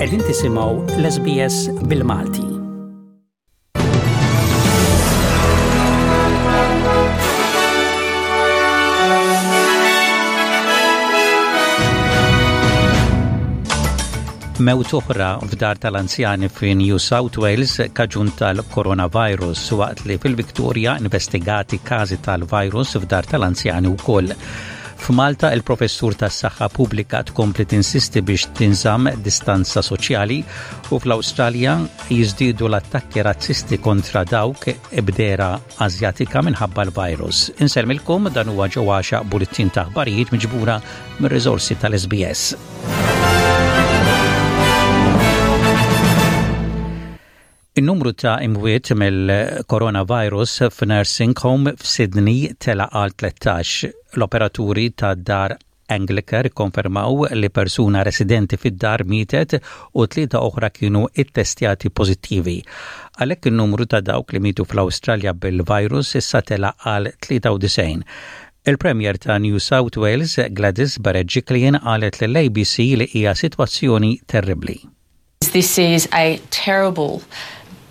Qegħdin tisimgħu l-SBS bil-Malti. Mewt oħra f'dar tal-anzjani fi New South Wales kaġun tal-coronavirus waqt li fil-Victoria investigati każi tal-virus f'dar tal-anzjani wkoll. F'Malta il-professur tas-saħħa pubblika tkompli tinsisti biex tinżamm distanza soċjali u fl-Awstralja jiżdiedu l-attakki razzisti kontra dawk b'dehra Asjatika minħabba l-virus. Insellmilkom dan huwa ġewwa bulletin ta' aħbarijiet miġbura mir-riżorsi tal-SBS. In-numru ta' imwiet mill-coronavirus f'nursing home f'Sydney tela' għal 13. L-operaturi ta' dar Anglicare ikkonfermaw li persuna residenti fid-dar mietet u tlieta oħra kienu ittestjati pożittivi. Għalhekk in-numru ta' dawk li mietu fl-Awstralja bil-virus issa tela' għal 93. Il-Premier ta' New South Wales, Gladys Berejiklian qalet lill-ABC li hija sitwazzjoni terribbli. This is a terrible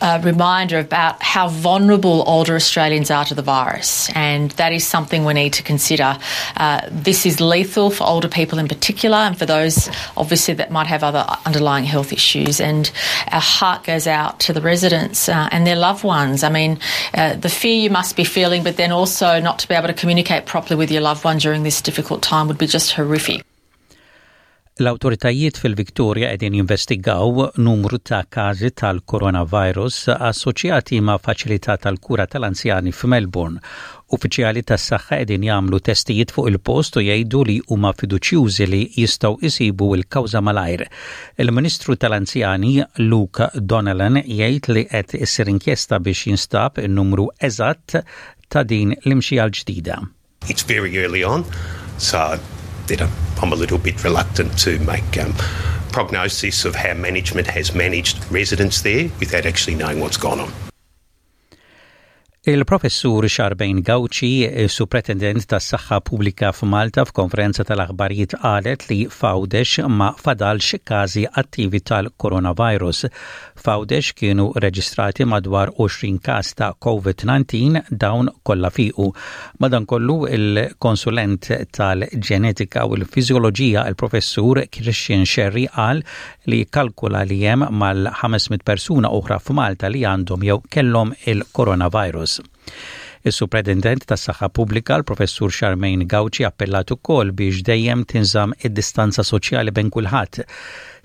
uh, reminder about how vulnerable older Australians are to the virus, and that is something we need to consider. Uh, this is lethal for older people in particular, and for those obviously that might have other underlying health issues. And our heart goes out to the residents uh, and their loved ones. I mean, uh, the fear you must be feeling, but then also not to be able to communicate properly with your loved one during this difficult time would be just horrific. L-awtoritajiet fil-Victoria qegħdin jinvestigaw numru ta' każi tal-coronavirus assoċjati ma' faċilità tal-kura tal-anzjani f'Melbourne. Uffiċjali tas-saħħa qegħdin jagħmlu testijiet fuq il-post u jgħidu li huma fiduċjużi li jistgħu jsibu l-kawża malajr. Il-Ministru tal-Anzjani Luke Donnellan jgħid li qed issir inkjesta biex jinstab in-numru eżatt ta' din l-imxija l-ġdida. It's very early on, so you know, I'm a little bit reluctant to make um, prognosis of how management has managed residents there without actually knowing what's gone on. Il-Professur Charmaine Gauci, Supretendent tas-Saħħa Pubblika f'Malta f'konferenza tal-aħbarijiet qalet li f'Għawdex ma fadalx każi attivi tal-coronavirus. F'Għawdex kienu reġistrati madwar 20 każ ta' COVID-19 dawn kollha fiequ. Madankollu il-konsulent tal-ġenetika u l-fiżjoloġija il-Professur Christian Scerri qal li jikkalkula li hemm mal-500 persuna oħra f'Malta li għandhom jew kellhom il-coronavirus. Is-Supretendent tas-Saħħa Pubblika, l-Professur Charmaine Gauci appellat ukoll biex dejjem tinżamm id-distanza soċjali bejn kulħadd,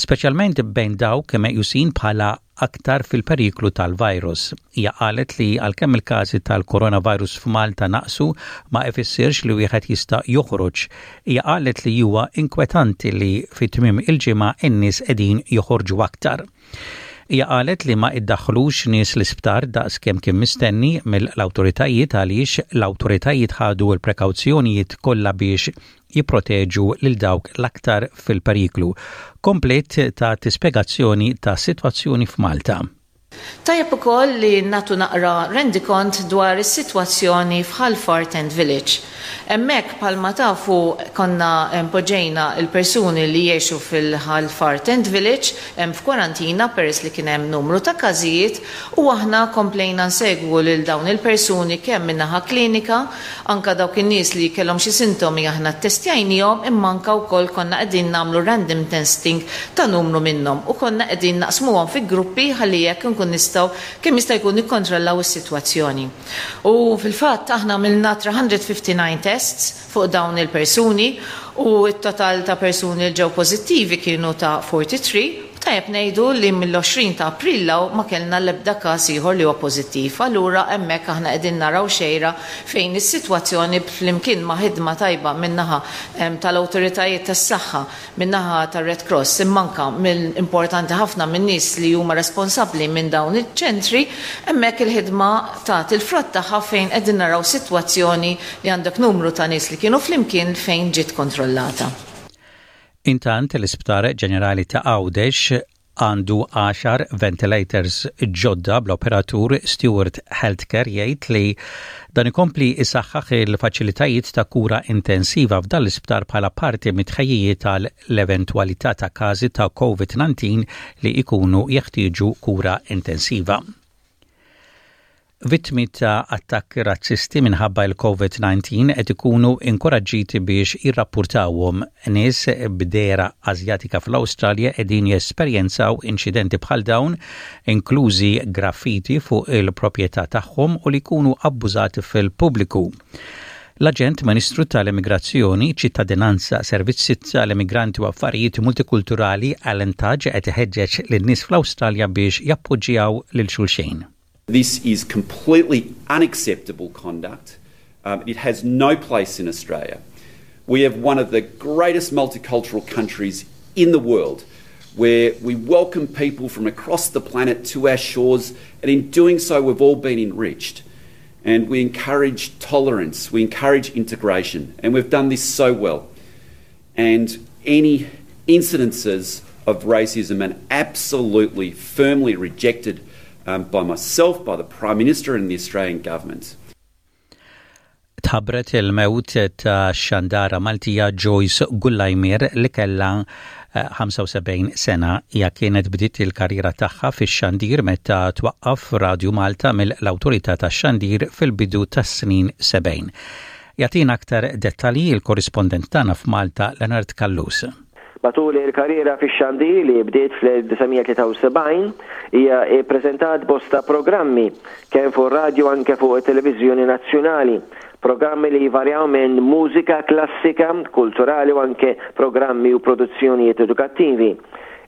speċjalment bejn dawk meqjusin bħala aktar fil-periklu tal-virus. Hija qalet li għalkemm il-każi tal-coronavirus f'Malta naqsu ma ifissirx li wieħed jista' joħroġ. Hija qalet li huwa inkwetanti li fi tmiem il-ġimgħa n-nies qegħdin joħorġu aktar. Hija qalet li ma iddaħħlux nies l-isptar daqs kemm kien mistenni mill-awtoritajiet għaliex l-awtoritajiet ħadu l-prekawzjonijiet kollha biex jipproteġu lil dawk l-aktar fil-periklu. Kompliet tat spjegazzjoni tas-sitwazzjoni f'Malta. Tajjeb ukoll li nagħtu naqra rendikont dwar is-sitwazzjoni f'Ħal Far Tent Village. Hemmhekk bħalma tafu konna poġġejna l-persuni li jgħixu fil-Ħal Far Tent Village hemm f'kwarantina peress li kien hemm numru ta' każijiet u aħna komplejna nsegwu lil dawn il-persuni kemm min-naħa klinika Anka dawk in-nies li kellhom xi sintomi aħna ttestjajniehom imma anka wkoll konna qegħdin nagħmlu random testing ta' numru minnhom u konna qegħdin naqsmuhom fi gruppi ħalli hekk inkun nistgħu kemm jista' jkun nikkontrollaw is-sitwazzjoni. U fil-fatt aħna għamilna 359 tests fuq dawn il-persuni u t-total ta' persuni li ġew pożittivi kienu ta' 43 Tajjeb ngħidu li mill-20 ta' April 'l hawn ma kellna l-ebda każ ieħor li huwa pożittiv. Allura hemmhekk aħna qegħdin naraw xejra fejn is-sitwazzjoni flimkien ma' ħidma tajba min-naħa tal-awtoritajiet tas-saħħa, min-naħa tar-Red Cross imma anke mill importanti ħafna min-nies li huma responsabbli minn dawn iċ-ċentri, hemmhekk il-ħidma tat il-frott tagħha fejn qegħdin naraw sitwazzjoni li għandek numru ta' nies li kienu flimkien fejn ġiet kontrollata. Intant, l-Isptar Ġenerali ta' Għawdex. Għandu għaxar ventilators ġodda bl-operatur Steward Healthcare jgħid li dan ikompli isaħħaħ il-faċilitajiet ta' kura intensiva f'dan l-isptar bħala parti mit-tħejjijiet għal l-eventwalità ta' każi ta' COVID-19 li jkunu jeħtieġu kura intensiva. Vittmi ta' attakki razzisti minħabba l-COVID-19 qed ikunu inkoraġġiti biex jirrappurtawhom. Nies b'dehra Asjatika fl-Awstralja qegħdin jesperjenzaw inċidenti bħal dawn, inklużi graffiti fuq il-proprjetà tagħhom u li jkunu abbużati fil-pubbliku. L-Aġent Ministru tal-Immigrazzjoni, Ċittadinanza, Servizzi tal-Immigranti u Affarijiet Multikulturali Alan Tudge qed iħeġġeġ lin-nies fl-Awstralja biex jappoġġjaw lil xulxin. This is completely unacceptable conduct. Um, it has no place in Australia. We have one of the greatest multicultural countries in the world where we welcome people from across the planet to our shores, and in doing so, we've all been enriched. And we encourage tolerance, we encourage integration, and we've done this so well. And any incidences of racism are absolutely firmly rejected um, by myself, by the Prime Minister, and the Australian government. Tħabbret il-mewt ta' xandara Maltija Joyce Gullajmier li kellha 75 eh, sena. Hija kienet bdiet il-karriera tagħha fix-xandir meta twaqqaf Radju Malta mill-Awtorità tax-Xandir fil-bidu tas-snin 70. Jagħtina aktar dettalji il-korrispondent tagħna f'Malta Leonard Callus. Matul il-karriera fix-xandir li bdiet fl-1973, hija ppreżentat bosta programmi, kemm fuq ir-radju anke fuq it-televiżjoni nazzjonali. Programmi li jvarjaw minn mużika klassika, kulturali u anke programmi u produzzjonijiet edukattivi.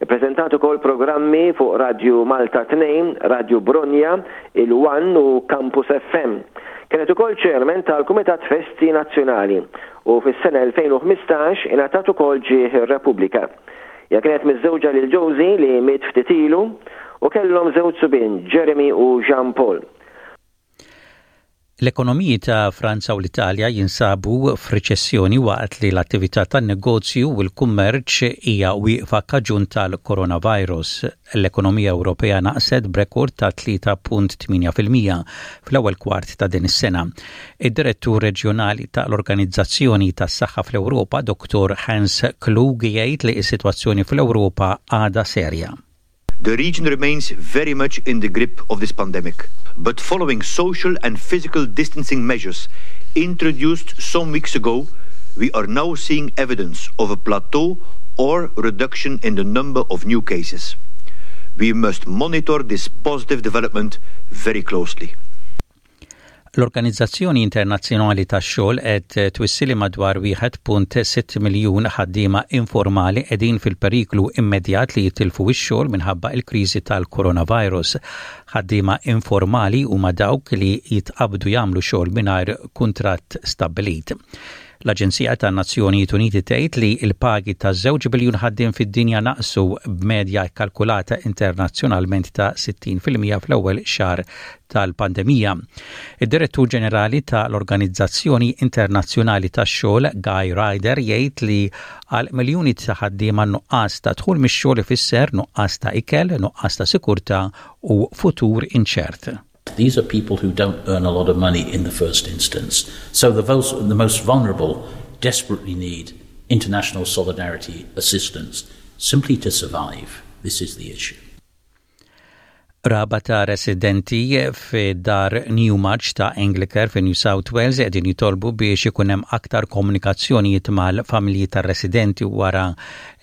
Ippreżentat ukoll programmi fuq Radju Malta 2, Radju Bronja, il-One u Campus FM. Kienet ukoll Chairman tal-Kumitat Festi Nazzjonali u fis-sena 2015 ingħatat ukoll Ġieħ ir-Repubblika. Hija kienet miżżewġa lil Josie li miet ftit ilu u kellhom żewġ subien, Jeremy u Jean Paul. L-ekonomiji ta' Franza u l-Italja jinsabu f'riċessjoni waqt li l-attività tan-negozju u l-kummerċ hija wieqfa kaġun tal-coronavirus. L-ekonomija Ewropea naqset b'rekord ta' 3.8% fl-ewwel kwart ta' din is-sena. Id-Direttur Reġjonali tal-Organizzazzjoni tas-Saħħa fl-Ewropa, Dr. Hans Kluge jgħid li s-sitwazzjoni fl-Ewropa għadha serja. The region remains very much in the grip of this pandemic, but following social and physical distancing measures introduced some weeks ago, we are now seeing evidence of a plateau or reduction in the number of new cases. We must monitor this positive development very closely. L-Organizzazzjoni Internazzjonali tax-Xogħol qed twissi li madwar 1.6 miljun ħaddiema informali qegħdin fil-periklu immedjat li jitilfu x-xogħol minħabba l-kriżi tal-coronavirus. Ħaddiema informali huma dawk li jitqabdu jagħmlu xogħol mingħajr kuntratt stabbilit. L-Aġenzija tan-Nazzjonijiet Uniti tgħid li l-pagi ta' żewġ biljun ħaddiem fid-dinja naqsu b'medja kkalkulata internazzjonalment ta' 60% fl-ewwel xahar tal-pandemija. Id-Direttur Ġenerali ta' l-Organizzazzjoni Internazzjonali tax-Xogħol Guy Ryder jgħid li għal miljuni ta' ħaddiema nuqqas ta' dħul mix-xogħol ifisser nuqqas ta' ikel, nuqqas ta' sikurtà u futur inċert. These are people who don't earn a lot of money in the first instance. So the, the most vulnerable desperately need international solidarity assistance simply to survive. This is the issue. Raba ta' residenti fi dar Newmarch ta' Anglicare fi New South Wales qegħdin jitolbu biex ikun hemm aktar komunikazzjonijiet mal-familji tar-residenti wara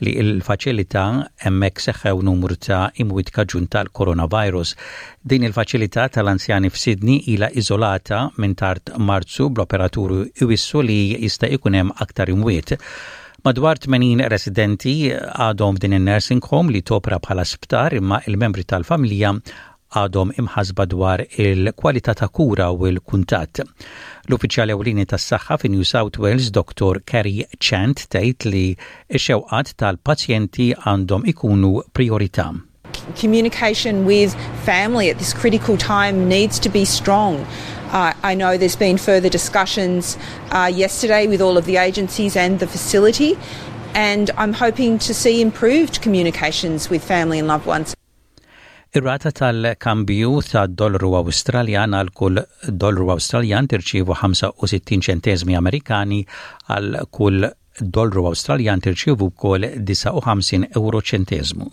li l-faċilità hemmhekk seħħew numru ta' imwiet kaġun tal-coronavirus. Din il-faċilità tal-anzjani f'Sydney ilha iżolata minn tard Marzu bl-operaturi iwissu li jista' jkun hemm aktar imwiet. Madwar 80 residenti għadhom f'din in-nursing home li topra bħala sptar imma il-membri tal-familja għadhom imħasba dwar il-kwalità ta' kura u l-kuntatt. L-uffiċjal ewlieni tas-saħħa fi New South Wales, Dr. Kerry Chant, tgħid li x-xewqat tal-pazjenti għandhom ikunu priorità. Communication with family at this critical time needs to be strong. Uh, I know there's been further discussions uh, yesterday with all of the agencies and the facility. And I'm hoping to see improved communications with family and loved ones. Ir-rata tal-kambju tad-dollaru Awstraljan għal kull dollaru Awstraljan tirċievu 65 ċenteżmi Amerikani għal kull dollaru Awstraljan tirċievu wkoll 59 euro ċenteżmu.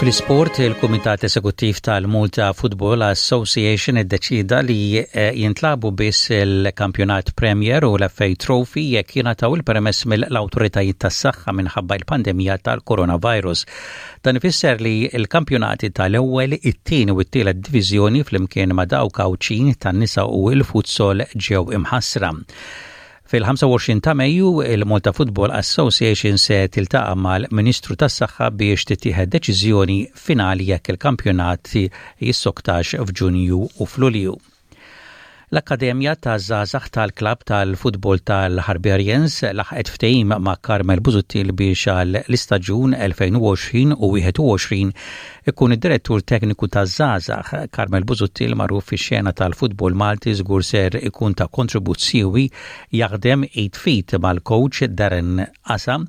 Fl-isport, il-Kumitat Esekuttiv tal-Malta Football Association iddeċida li eh, jintlabu biss il-Kampjonat Premier u l-FA Trophy jekk jingħataw il-permess mill-awtoritajiet tas-saħħa minħabba l-pandemija tal-coronavirus. Dan ifisser li l-kampjonati tal-ewwel, it-tieni u t-tielet diviżjoni flimkien ma' dawk Għawdxin tan-nisa u l-futsal ġew imħassra. Fil-25 ta' Mejju, il-Malta Football Association se tiltaqa' mal-Ministru tas-Saħħa biex tittieħed deċiżjoni finali jekk il-kampjonat jissoktax f'Ġunju u f'Lulju. L-Akkademja taż-Żgħażagħ tal-Klabb tal-Futbol tal-Harbarians laħqet ftehim ma' Carmel Busuttil biex għal l-istaġun 2020 u 21 ikun id-direttur tekniku taż-żgħażagħ. Carmel Busuttil magħruf fix-xena tal-futbol Malti żgur ser ikun ta' kontribut siewi jaħdem id f'id mal-coach Darren Asa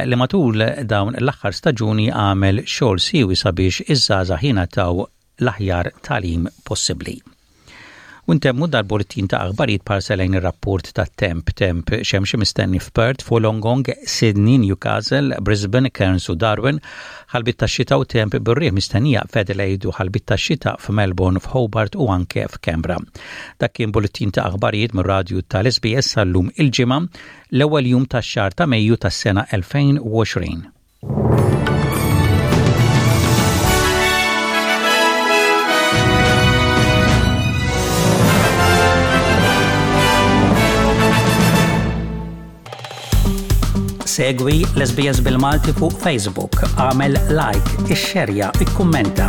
li matul dawn l-aħħar staġuni għamel xogħol siewi sabiex iż-żgħażagħ jingħataw l-aħjar tagħlim possibbli. U ntemmu dal-bulletin ta' aħbarijiet b'ħarsa lejn ir-rapport tat-temp. Temp xemxi mistenni f'Perth, f'Wollongong, Sydney, Newcastle, Brisbane, Cairns u Darwin, ħalbiet tax-xita u temp bir-riħ mistennija f'Adelaide u ħalbiet tax-xita f'Melbourne, f'Hobart u anke f'Canberra. Dak kien bulletin ta' aħbarijiet mir-radju tal-SBS għal-lum il-Ġimgħa, l-ewwel jum tax-xahar ta' Mejju tas-sena 2020. Segwi l-SBS bil-Malti fuq Facebook, għamel like, ixxerja, ikkummenta.